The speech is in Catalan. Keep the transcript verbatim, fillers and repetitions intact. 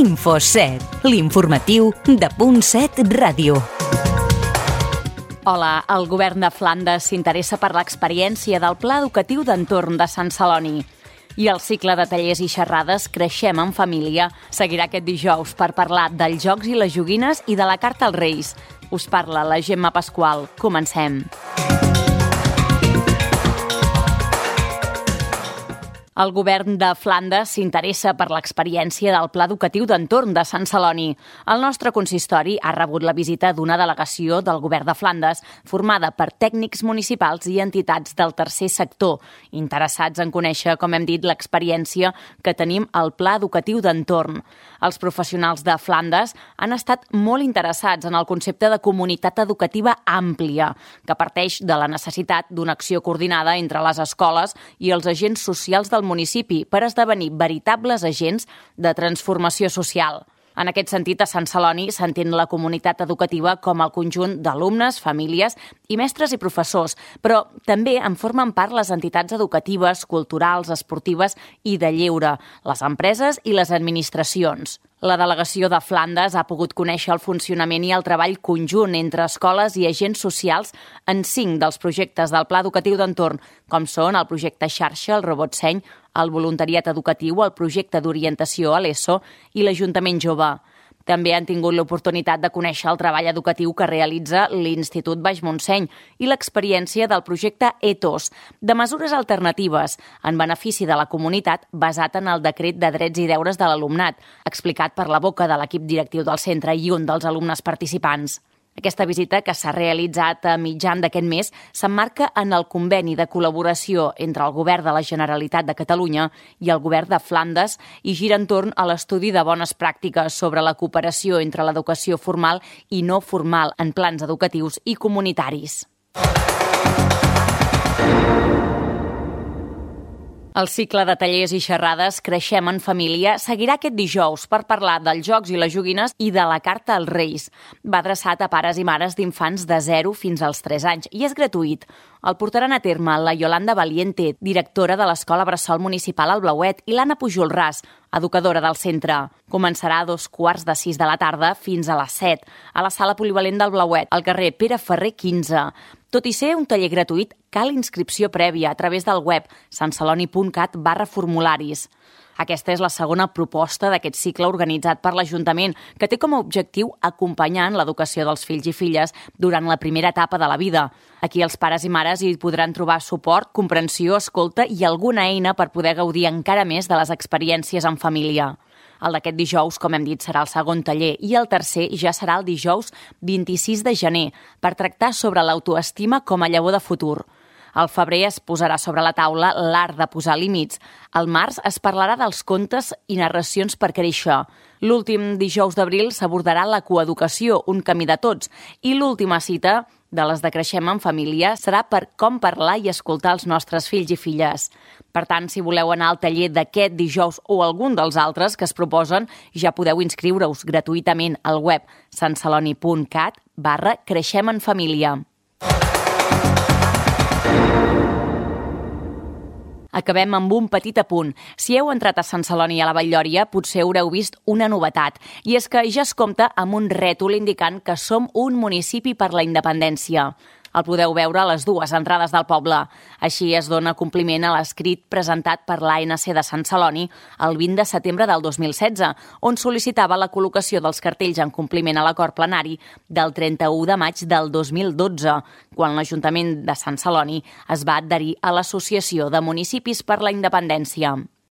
InfoSet, l'informatiu de Punt set Ràdio. Hola, el govern de Flandes s'interessa per l'experiència del Pla Educatiu d'Entorn de Sant Celoni. I el cicle de tallers i xerrades Creixem en Família seguirà aquest dijous per parlar dels jocs i les joguines i de la carta als Reis. Us parla la Gemma Pasqual. Comencem. El govern de Flandes s'interessa per l'experiència del Pla Educatiu d'Entorn de Sant Celoni. El nostre consistori ha rebut la visita d'una delegació del govern de Flandes formada per tècnics municipals i entitats del tercer sector, interessats en conèixer, com hem dit, l'experiència que tenim al Pla Educatiu d'Entorn. Els professionals de Flandes han estat molt interessats en el concepte de comunitat educativa àmplia, que parteix de la necessitat d'una acció coordinada entre les escoles i els agents socials del municipi per esdevenir veritables agents de transformació social. En aquest sentit, a Sant Celoni s'entén la comunitat educativa com el conjunt d'alumnes, famílies i mestres i professors, però també en formen part les entitats educatives, culturals, esportives i de lleure, les empreses i les administracions. La delegació de Flandes ha pogut conèixer el funcionament i el treball conjunt entre escoles i agents socials en cinc dels projectes del Pla Educatiu d'Entorn, com són el projecte Xarxa, el Robot Seny, el voluntariat educatiu, el projecte d'orientació a l'ESO i l'Ajuntament Jove. També han tingut l'oportunitat de conèixer el treball educatiu que realitza l'Institut Baix Montseny i l'experiència del projecte ETOS, de mesures alternatives en benefici de la comunitat basat en el decret de drets i deures de l'alumnat, explicat per la boca de l'equip directiu del centre i un dels alumnes participants. Aquesta visita, que s'ha realitzat a mitjan d'aquest mes, s'emmarca en el conveni de col·laboració entre el Govern de la Generalitat de Catalunya i el Govern de Flandes i gira entorn a l'estudi de bones pràctiques sobre la cooperació entre l'educació formal i no formal en plans educatius i comunitaris. El cicle de tallers i xerrades Creixem en Família seguirà aquest dijous per parlar dels jocs i les joguines i de la carta als Reis. Va adreçat a pares i mares d'infants de zero fins als tres anys i és gratuït. El portaran a terme la Yolanda Valiente, directora de l'Escola Bressol Municipal al Blauet, i l'Anna Pujolràs, educadora del centre. Començarà a dos quarts de sis de la tarda fins a les set, a la sala polivalent del Blauet, al carrer Pere Ferrer quinze. Tot i ser un taller gratuït, cal inscripció prèvia a través del web santceloni.cat barra formularis. Aquesta és la segona proposta d'aquest cicle organitzat per l'Ajuntament, que té com a objectiu acompanyar en l'educació dels fills i filles durant la primera etapa de la vida. Aquí els pares i mares hi podran trobar suport, comprensió, escolta i alguna eina per poder gaudir encara més de les experiències en família. El d'aquest dijous, com hem dit, serà el segon taller i el tercer ja serà el dijous vint-i-sis de gener per tractar sobre l'autoestima com a llavor de futur. Al febrer es posarà sobre la taula l'art de posar límits. Al març es parlarà dels contes i narracions per créixer. L'últim dijous d'abril s'abordarà la coeducació, un camí de tots. I l'última cita de les de Creixem en Família serà per com parlar i escoltar els nostres fills i filles. Per tant, si voleu anar al taller d'aquest dijous o algun dels altres que es proposen, ja podeu inscriure-us gratuïtament al web santceloni.cat barra Creixem en Família. Acabem amb un petit apunt. Si heu entrat a Sant Celoni a la Vall-lloria, potser haureu vist una novetat. I és que ja es compta amb un rètol indicant que som un municipi per la independència. El podeu veure a les dues entrades del poble. Així es dona compliment a l'escrit presentat per l'A N C de Sant Celoni el vint de setembre del dos mil setze, on sol·licitava la col·locació dels cartells en compliment a l'acord plenari del trenta-u de maig del dos mil dotze, quan l'Ajuntament de Sant Celoni es va adherir a l'Associació de Municipis per la Independència.